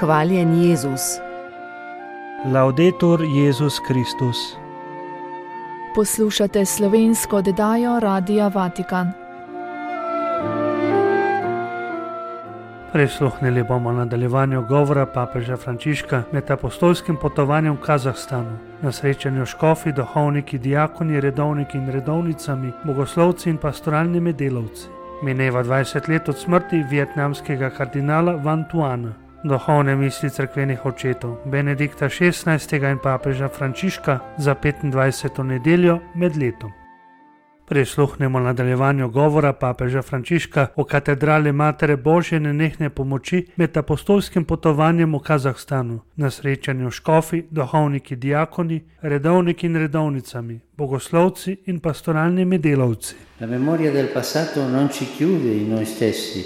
Hvaljen Jezus. Laudetur Jezus Kristus. Poslušate slovensko oddajo Radia Vatikan. Prisluhnili bomo nadaljevanju govora papeža Frančiška med apostolskim potovanjem v Kazahstanu, na srečanju škofi, duhovniki, diakoni, redovniki in redovnicami, bogoslovci in pastoralnimi delavci. Mineva 20 let od smrti vietnamskega kardinala Van Thuana. Duhovne misli cerkvenih očetov Benedikta XVI. In papeža Frančiška za 25. nedeljo med letom. Prisluhnemo nadaljevanju govora papeža Frančiška o katedrali Matere Božje nenehne pomoči med apostolskim potovanjem v Kazahstanu, na srečanju škofi, duhovniki, diakoni, redovniki in redovnicami, bogoslovci in pastoralnimi delavci. La memoria del passato non ci chiude in noi stessi,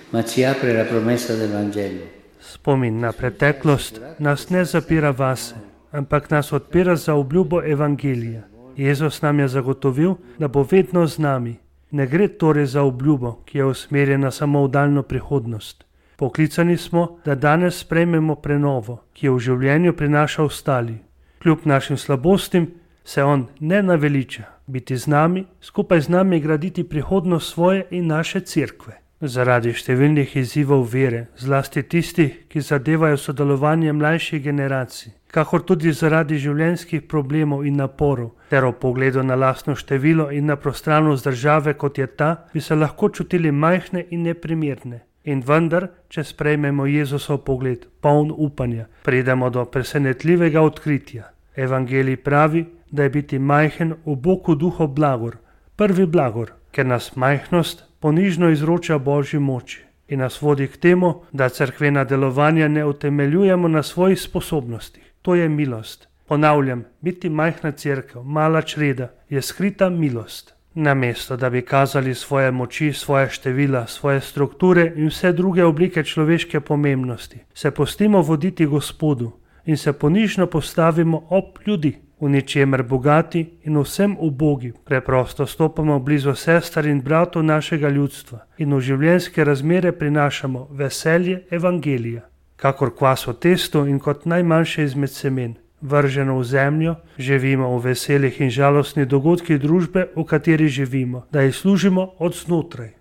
ma ci apre la promessa del Vangelo. Spomin na preteklost nas ne zapira vase, ampak nas odpira za obljubo Evangelija. Jezus nam je zagotovil, da bo vedno z nami. Ne gre torej za obljubo, ki je usmerjena samo v daljno prihodnost. Poklicani smo, da danes sprejmemo prenovo, ki jo v življenju prinaša ostali. Kljub našim slabostim se on ne naveliča biti z nami, skupaj z nami graditi prihodnost svoje in naše cerkve. Zaradi številnih izzivov vere, zlasti tistih, ki zadevajo sodelovanje mlajših generacij, kakor tudi zaradi življenjskih problemov in naporov, ter o pogledu na lastno število in na prostranost države, kot je ta, bi se lahko čutili majhne in neprimerne. In vendar, če sprejmemo Jezusov pogled, poln upanja, pridemo do presenetljivega odkritja. Evangelij pravi, da je biti majhen v Bogu duhu blagor, prvi blagor, ker nas majhnost ponižno izroča Božji moči in nas vodi k temu, da cerkvena delovanja ne utemeljujemo na svojih sposobnostih. To je milost. Ponavljam, biti majhna cerkev, mala čreda, je skrita milost. Namesto, da bi kazali svoje moči, svoje števila, svoje strukture in vse druge oblike človeške pomembnosti, se pustimo voditi Gospodu in se ponižno postavimo ob ljudi. V ničemer bogati in vsem ubogi, preprosto stopamo blizu sester in bratov našega ljudstva in v življenjske razmere prinašamo veselje Evangelija. Kakor kvas v testu in kot najmanjše izmed semen, vrženo v zemljo, živimo v veselih in žalostnih dogodkih družbe, v kateri živimo, da jih služimo od znotraj.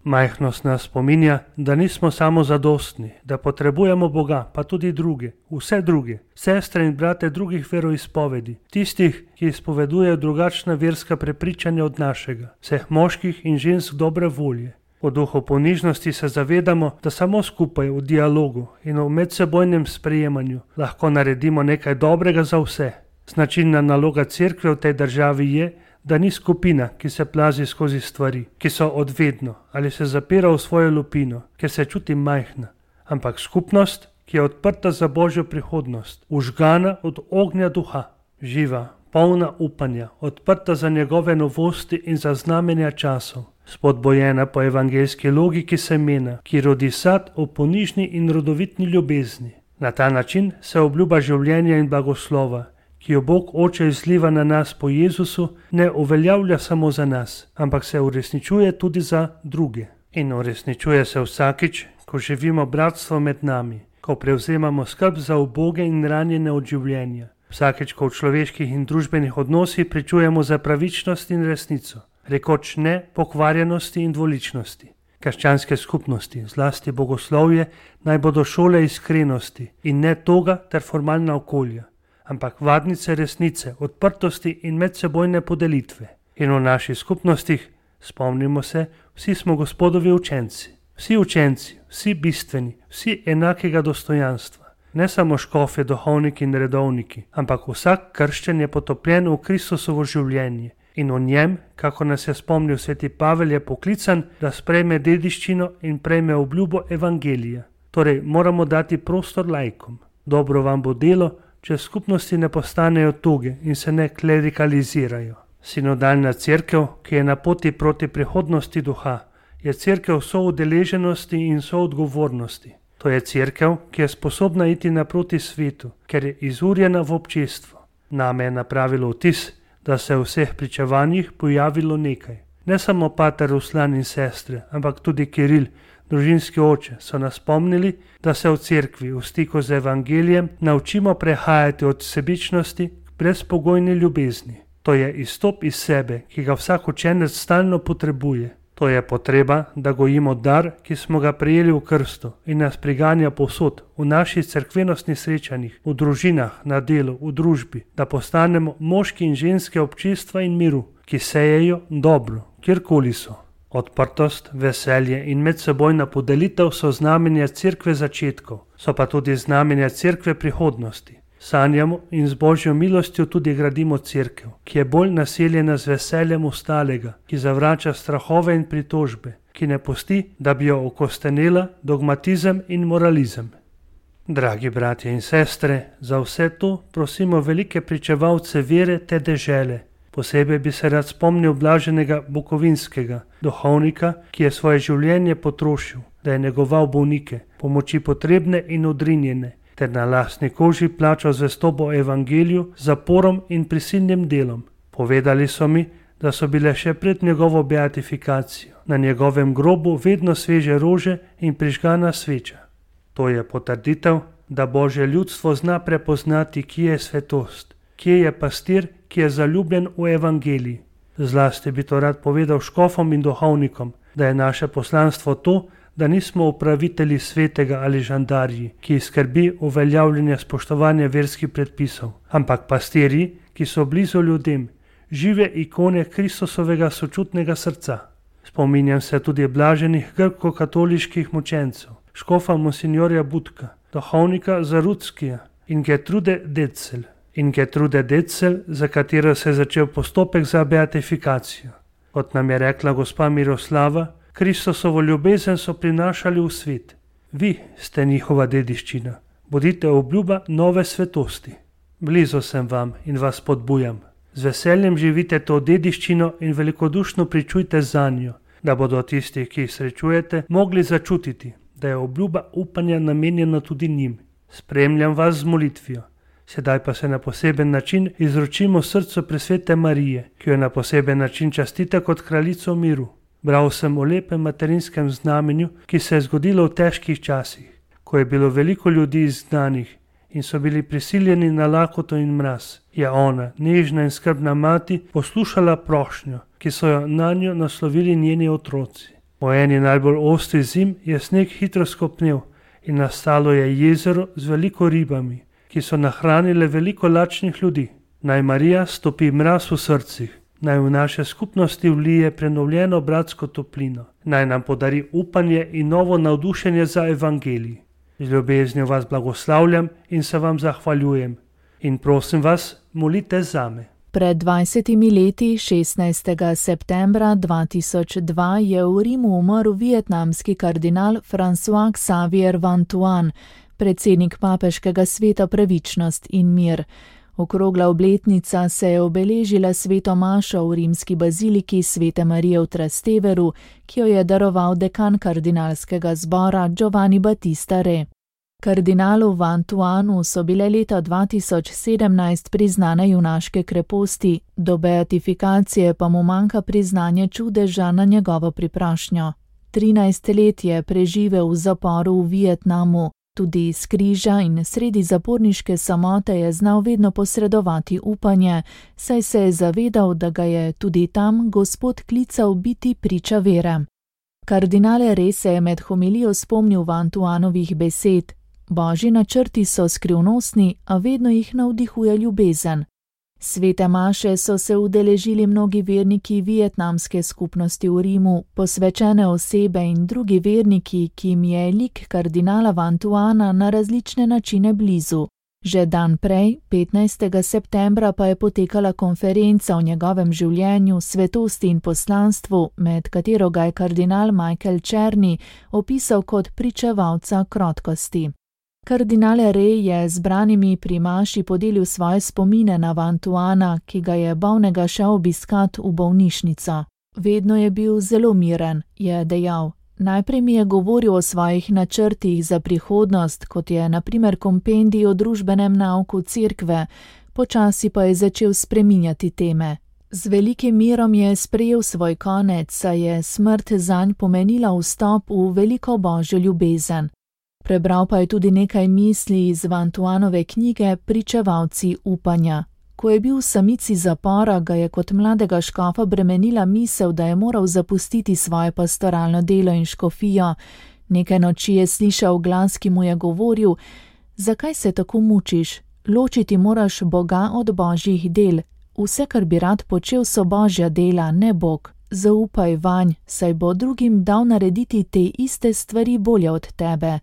Majhnost nas spominja, da nismo samo zadostni, da potrebujemo Boga, pa tudi druge, vse druge, sestre in brate drugih veroizpovedi, tistih, ki izpovedujejo drugačna verska prepričanja od našega, vseh moških in žensk dobre volje. V duhu ponižnosti se zavedamo, da samo skupaj v dialogu in v medsebojnem sprejemanju lahko naredimo nekaj dobrega za vse. Značilna naloga cerkve v tej državi je, da ni skupina, ki se plazi skozi stvari, ki so odvedno ali se zapira v svojo lupino, ker se čuti majhna, ampak skupnost, ki je odprta za Božjo prihodnost, užgana od ognja duha, živa, polna upanja, odprta za njegove novosti in za znamenja časov, spodbojena po evangeljski logiki semena, ki rodi sad v ponižni in rodovitni ljubezni. Na ta način se obljuba življenja in blagoslova, ki jo Bog Oče izliva na nas po Jezusu, ne uveljavlja samo za nas, ampak se uresničuje tudi za druge. In uresničuje se vsakič, ko živimo bratstvo med nami, ko prevzemamo skrb za uboge in ranjene od življenja, vsakič, ko v človeških in družbenih odnosih pričujemo za pravičnost in resnico, rekoč ne pokvarjenosti in dvoličnosti. Krščanske skupnosti, zlasti bogoslovje, naj bodo šole iskrenosti in ne toga ter formalna okolja, ampak vadnice resnice, odprtosti in medsebojne podelitve. In v naših skupnostih, spomnimo se, vsi smo Gospodovi učenci. Vsi učenci, vsi bistveni, vsi enakega dostojanstva. Ne samo škofje, duhovniki in redovniki, ampak vsak krščen je potopljen v Kristusovo življenje. In v njem, kako nas je spomnil sveti Pavel, je poklican, da sprejme dediščino in prejme obljubo Evangelija. Torej, moramo dati prostor laikom. Dobro vam bo delo, če skupnosti ne postanejo toge in se ne klerikalizirajo. Sinodalna cerkev, ki je na poti proti prihodnosti duha, je cerkev soudeleženosti in soodgovornosti. To je cerkev, ki je sposobna iti naproti svetu, ker je izurjena v občestvo. Name je napravilo vtis, da se v vseh pričevanjih pojavilo nekaj. Ne samo pater Ruslan in sestre, ampak tudi Kiril, družinski oče, so nas spomnili, da se v cerkvi v stiku z evangelijem naučimo prehajati od sebičnosti k brezpogojni ljubezni. To je izstop iz sebe, ki ga vsak učenec stalno potrebuje. To je potreba, da gojimo dar, ki smo ga prejeli v krstu in nas priganja povsod, v naših cerkvenosnih srečanjih, v družinah, na delu, v družbi, da postanemo moški in ženske občestva in miru, ki sejejo dobro, kjerkoli so. Odprtost, veselje in medsebojna podelitev so znamenja cerkve začetkov, so pa tudi znamenja cerkve prihodnosti. Sanjamo in z Božjo milostjo tudi gradimo cerkev, ki je bolj naseljena z veseljem ostalega, ki zavrača strahove in pritožbe, ki ne pusti, da bi jo okostenela dogmatizem in moralizem. Dragi bratje in sestre, za vse to prosimo velike pričevalce vere te dežele. Posebej bi se rad spomnil blaženega Bukovinskega, duhovnika, ki je svoje življenje potrošil, da je negoval bolnike, pomoči potrebne in odrinjene, ter na lastni koži plačal zvestobo evangeliju, zaporom in prisilnim delom. Povedali so mi, da so bile še pred njegovo beatifikacijo na njegovem grobu vedno sveže rože in prižgana sveča. To je potrditev, da Božje ljudstvo zna prepoznati, kje je svetost, kje je pastir, ki je zaljubljen v evangeliji. Zlasti bi to rad povedal škofom in duhovnikom, da je naše poslanstvo to, da nismo upravitelji svetega ali žandarji, ki skrbi uveljavljanje spoštovanja verskih predpisov, ampak pastirji, ki so blizu ljudem, žive ikone Kristusovega sočutnega srca. Spominjam se tudi blaženih grko-katoliških mučencev, škofa monsinjorja Budka, duhovnika Zarudskija in Gertrude Detzel, za katero se je začel postopek za beatifikacijo. Kot nam je rekla gospa Miroslava, Kristusovo ljubezen so prinašali v svet. Vi ste njihova dediščina. Bodite obljuba nove svetosti. Blizu sem vam in vas spodbujam. Z veseljem živite to dediščino in velikodušno pričujte zanjo, da bodo tisti, ki jih srečujete, mogli začutiti, da je obljuba upanja namenjena tudi njim. Spremljam vas z molitvijo. Sedaj pa se na poseben način izročimo srcu presvete Marije, ki jo na poseben način častite kot kraljico miru. Bral sem o lepem materinskem znamenju, ki se je zgodilo v težkih časih, ko je bilo veliko ljudi izgnanih in so bili prisiljeni na lakoto in mraz. Je ona, nežna in skrbna mati, poslušala prošnjo, ki so jo nanjo naslovili njeni otroci. Po eni najbolj ostri zim je sneg hitro skopnel in nastalo je jezero z veliko ribami, ki so nahranile veliko lačnih ljudi. Naj Marija stopi mraz v srcih, naj v naše skupnosti vlije prenovljeno bratsko toplino, naj nam podari upanje in novo navdušenje za evangelij. Z ljubeznijo vas blagoslavljam in se vam zahvaljujem. In prosim vas, molite zame. Pred 20 leti, 16. septembra 2002, je v Rimu umrl vietnamski kardinal François Xavier Van Thuan, predsednik papeškega sveta Pravičnost in mir. Okrogla obletnica se je obeležila sveto mašo v rimski baziliki Svete Marije v Trasteveru, ki jo je daroval dekan kardinalskega zbora Giovanni Battista Re. Kardinalu Van Thuanu so bile leta 2017 priznane junaške kreposti, do beatifikacije pa mu manjka priznanje čudeža na njegovo priprošnjo. 13 let je preživel v zaporu v Vietnamu. Tudi iz križa in sredi zaporniške samote je znal vedno posredovati upanje, saj se je zavedal, da ga je tudi tam Gospod klical biti priča vere. Kardinal Re se je med homilijo spomnil Van Thuanovih besed: Božji načrti so skrivnostni, a vedno jih navdihuje ljubezen. Svete maše so se udeležili mnogi verniki vietnamske skupnosti v Rimu, posvečene osebe in drugi verniki, ki jim je lik kardinala Van Thuana na različne načine blizu. Že dan prej, 15. septembra, pa je potekala konferenca o njegovem življenju, svetosti in poslanstvu, med katero ga je kardinal Michael Czerny opisal kot pričevalca krotkosti. Kardinal Re je z branimi pri maši podelil svoje spomine na Van Thuana, ki ga je bolnega šel obiskat v bolnišnico. Vedno je bil zelo miren, je dejal. Najprej mi je govoril o svojih načrtih za prihodnost, kot je na primer kompendij o družbenem nauku cerkve, počasi pa je začel spreminjati teme. Z velikim mirom je sprejel svoj konec, saj je smrt zanj pomenila vstop v veliko božjo ljubezen. Prebral pa je tudi nekaj misli iz Vantuanove knjige Pričevalci upanja. Ko je bil v samici zapora, ga je kot mladega škofa bremenila misel, da je moral zapustiti svoje pastoralno delo in škofijo. Nekaj noči je slišal glas, ki mu je govoril: zakaj se tako mučiš? Ločiti moraš Boga od božjih del. Vse, kar bi rad počel, so božja dela, ne Bog. Zaupaj vanj, saj bo drugim dal narediti te iste stvari bolje od tebe.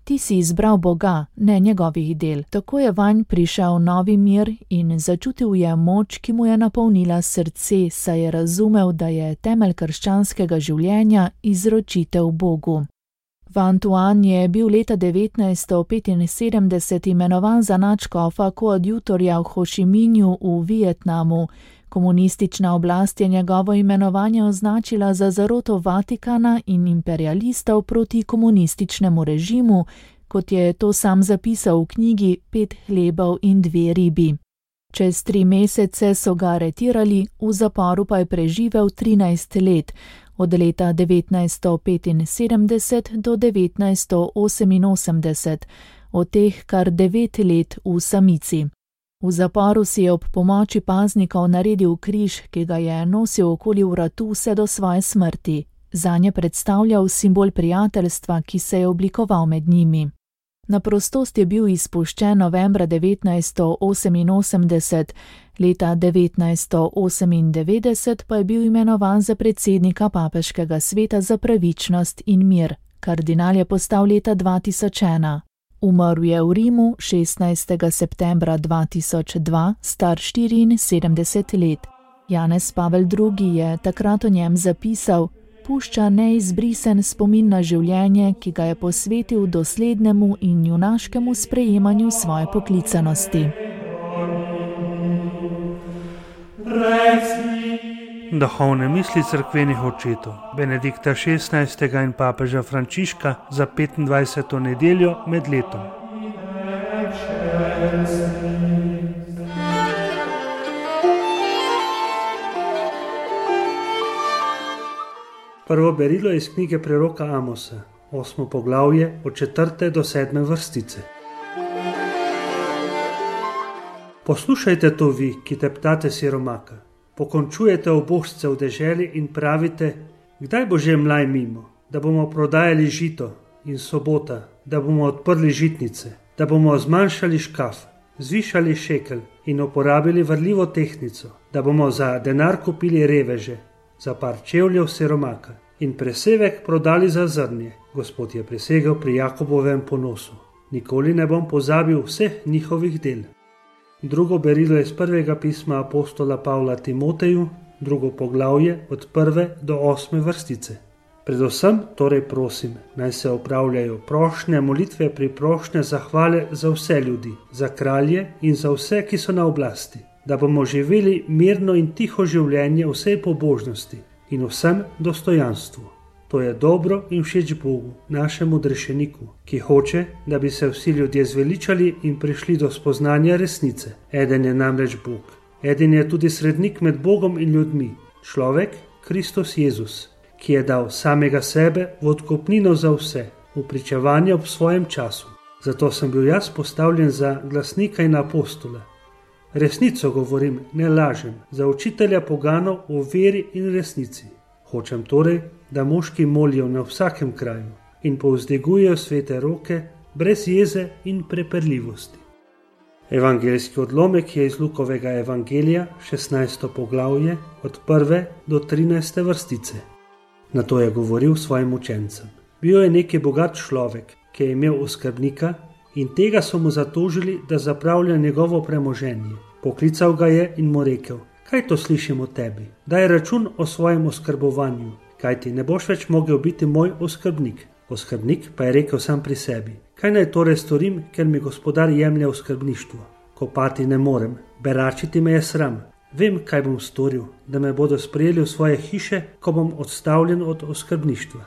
Ti si izbral Boga, ne njegovih del. Tako je vanj prišel novi mir in začutil je moč, ki mu je napolnila srce, saj je razumel, da je temelj krščanskega življenja izročitev Bogu. Vantuan je bil leta 1975 imenovan za nadškofa koadjutorja v Hošiminju v Vietnamu. Komunistična oblast je njegovo imenovanje označila za zaroto Vatikana in imperialistov proti komunističnemu režimu, kot je to sam zapisal v knjigi 5 hlebov in 2 ribi. Čez 3 mesece so ga aretirali, v zaporu pa je preživel 13 let, od leta 1975 do 1988, od teh kar 9 let v samici. V zaporu si je ob pomoči paznikov naredil križ, ki ga je nosil okoli vratu vse do svoje smrti. Zanje predstavljal simbol prijateljstva, ki se je oblikoval med njimi. Na prostost je bil izpuščen novembra 1988, leta 1998 pa je bil imenovan za predsednika Papeškega sveta za pravičnost in mir. Kardinal je postal leta 2001. Umrl je v Rimu 16. septembra 2002, star 74 let. Janez Pavel II. Je takrat o njem zapisal: pušča neizbrisen spomin na življenje, ki ga je posvetil doslednemu in junaškemu sprejemanju svoje poklicanosti. Duhovne misli cerkvenih očetov Benedikta XVI. In papeža Frančiška za 25. nedeljo med letom. Prvo berilo iz knjige preroka Amosa, 8. poglavje od 4. do 7. vrstice. Poslušajte to vi, ki teptate siromaka. Pokončujete obožce v deželi in pravite: kdaj bo že mlaj mimo, da bomo prodajali žito, in sobota, da bomo odprli žitnice, da bomo zmanjšali škaf, zvišali šekel in uporabili varljivo tehtnico, da bomo za denar kupili reveže, za par čevljev siromaka in presevek prodali za zrnje. Gospod je prisegel pri Jakobovem ponosu: nikoli ne bom pozabil vseh njihovih del. Drugo berilo iz prvega pisma apostola Pavla Timoteju, 2. poglavje od 1. do 8. vrstice. Predvsem torej prosim, naj se opravljajo prošnje, molitve, priprošnje, zahvale za vse ljudi, za kralje in za vse, ki so na oblasti, da bomo živeli mirno in tiho življenje vsej pobožnosti in vsem dostojanstvu. To je dobro in všeč Bogu, našemu odrešeniku, ki hoče, da bi se vsi ljudje zveličali in prišli do spoznanja resnice. Eden je namreč Bog. Eden je tudi srednik med Bogom in ljudmi, človek, Kristus Jezus, ki je dal samega sebe v odkupnino za vse, v pričevanje ob svojem času. Zato sem bil jaz postavljen za glasnika in apostola. Resnico govorim, ne lažem, za učitelja poganov o veri in resnici. Hočem torej, da moški molijo na vsakem kraju in povzdegujejo svete roke brez jeze in prepirljivosti. Evangeljski odlomek je iz Lukovega evangelija, 16. poglavje, od 1. do 13. vrstice. Nato je govoril svojim učencem. Bil je neki bogat človek, ki je imel oskrbnika, in tega so mu zatožili, da zapravlja njegovo premoženje. Poklical ga je in mu rekel: kaj to slišim o tebi? Daj račun o svojem oskrbovanju, kajti ne boš več mogel biti moj oskrbnik. Oskrbnik pa je rekel sam pri sebi: kaj naj torej storim, ker mi gospodar jemlje oskrbništvo? Kopati ne morem, beračiti me je sram. Vem, kaj bom storil, da me bodo sprejeli v svoje hiše, ko bom odstavljen od oskrbništva.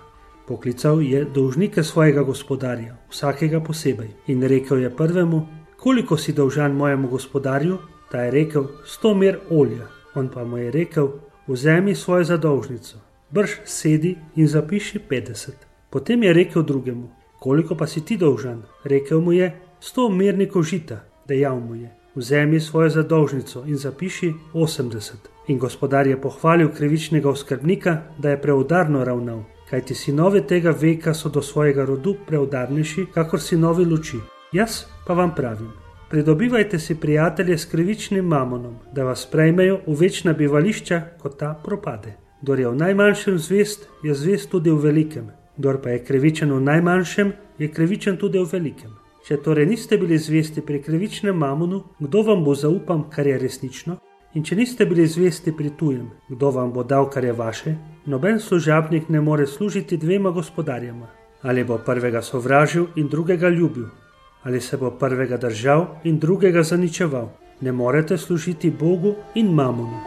Poklical je dolžnike svojega gospodarja, vsakega posebej, in rekel je prvemu: koliko si dolžan mojemu gospodarju? Ta je rekel: 100 mer olja. On pa mu je rekel: vzemi svojo zadolžnico, brž sedi in zapiši 50. Potem je rekel drugemu: koliko pa si ti dolžan? Rekel mu je: 100 mernikov žita. Dejal mu je: vzemi svojo zadolžnico in zapiši 80. In gospodar je pohvalil krivičnega oskrbnika, da je preudarno ravnal, kajti sinovi tega veka so do svojega rodu preudarnejši, kakor sinovi luči. Jaz pa vam pravim, pridobivajte si prijatelje s krivičnim mamonom, da vas sprejmejo v večna bivališča, ko ta propade. Kdor je v najmanjšem zvest, je zvest tudi v velikem. Kdor pa je krivičen v najmanjšem, je krivičen tudi v velikem. Če torej niste bili zvesti pri krivičnem mamonu, kdo vam bo zaupal, kar je resnično? In če niste bili zvesti pri tujem, kdo vam bo dal, kar je vaše? Noben služabnik ne more služiti dvema gospodarjema. Ali bo prvega sovražil in drugega ljubil, ali se bo prvega držal in drugega zaničeval. Ne morete služiti Bogu in mamonu.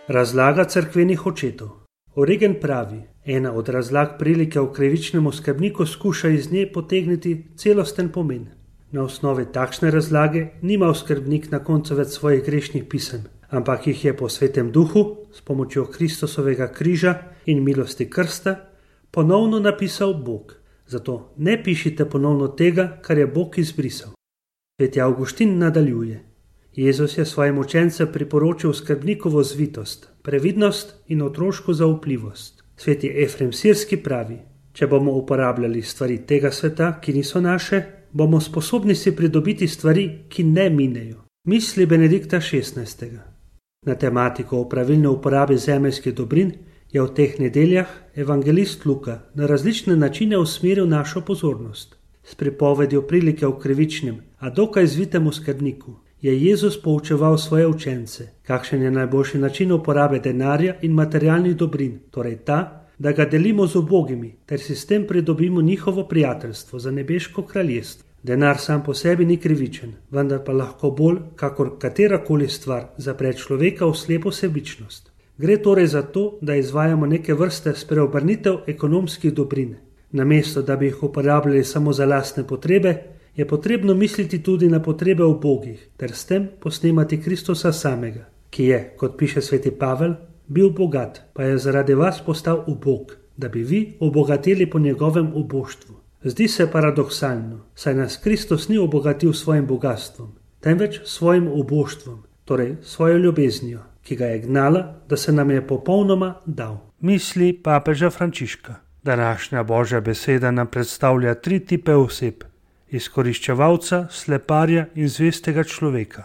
Razlaga cerkvenih očetov. Origen pravi: ena od razlag prilike v krivičnem oskrbniku skuša iz nje potegniti celosten pomen. Na osnovi takšne razlage nima oskrbnik na koncu več svojih grešnih pisem, ampak jih je po Svetem Duhu s pomočjo Kristusovega križa in milosti krsta ponovno napisal Bog. Zato ne pišite ponovno tega, kar je Bog izbrisal. Sveti Avguštin nadaljuje: Jezus je svojim učencem priporočil skrbnikovo zvitost, previdnost in otroško zaupljivost. Sveti Efrem Sirski pravi: če bomo uporabljali stvari tega sveta, ki niso naše, bomo sposobni si pridobiti stvari, ki ne minejo. Misli Benedikta XVI. Na tematiko o pravilni uporabi zemeljskih dobrin je v teh nedeljah evangelist Luka na različne načine usmeril našo pozornost. S pripovedjo prilike v krivičnem, a dokaj zvitem skrbniku je Jezus poučeval svoje učence, kakšen je najboljši način uporabe denarja in materialnih dobrin, torej ta, da ga delimo z ubogimi, ter si s tem pridobimo njihovo prijateljstvo za nebeško kraljestvo. Denar sam po sebi ni krivičen, vendar pa lahko bolj, kakor katerakoli stvar, zapre človeka v slepo sebičnost. Gre torej za to, da izvajamo neke vrste spreobrnitev ekonomskih dobrin. Namesto, da bi jih uporabljali samo za lastne potrebe, je potrebno misliti tudi na potrebe ubogih, ter s tem posnemati Kristusa samega, ki je, kot piše sveti Pavel, bil bogat, pa je zaradi vas postal ubog, da bi vi obogatili po njegovem uboštvu. Zdi se paradoksalno, saj nas Kristus ni obogatil svojim bogatstvom, temveč svojim uboštvom, torej svojo ljubeznijo, ki ga je gnala, da se nam je popolnoma dal. Misli papeža Frančiška. Današnja Božja beseda nam predstavlja 3 tipe oseb: izkoriščevalca, sleparja in zvestega človeka.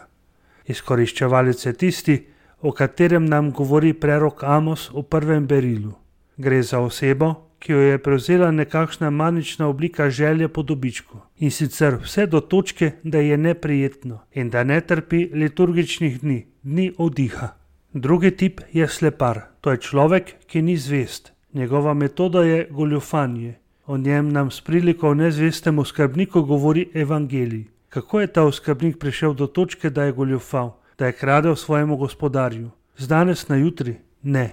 Izkoriščevalec je tisti, o katerem nam govori prerok Amos v 1. berilu. Gre za osebo, ki jo je prevzela nekakšna manična oblika želje po dobičku, in sicer vse do točke, da je neprijetno in da ne trpi liturgičnih dni oddiha. Drugi tip je slepar, to je človek, ki ni zvest. Njegova metoda je goljufanje. O njem nam s priliko o nezvestem oskrbniku govori evangelij. Kako je ta oskrbnik prišel do točke, da je goljufal, da je kradel svojemu gospodarju? Z danes na jutri? Ne,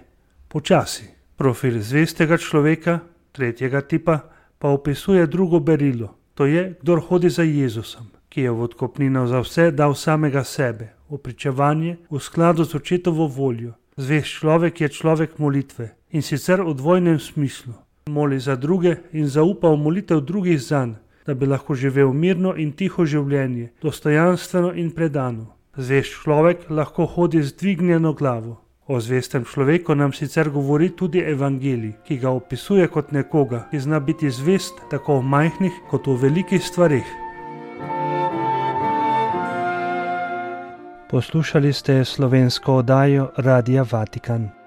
počasi. Profil zvestega človeka, tretjega tipa, pa opisuje drugo berilo. To je, kdor hodi za Jezusom, ki je v odkupnino za vse dal samega sebe, v pričevanje, v skladu z očetovo voljo. Zvest človek je človek molitve, in sicer v dvojnem smislu. Moli za druge in zaupa v molitev drugih zanj, da bi lahko živel mirno in tiho življenje, dostojanstveno in predano. Zvest človek lahko hodi z dvignjeno glavo. O zvestem človeku nam sicer govori tudi evangelij, ki ga opisuje kot nekoga, ki zna biti zvest tako v majhnih kot v velikih stvareh. Poslušali ste slovensko oddajo Radia Vatikan.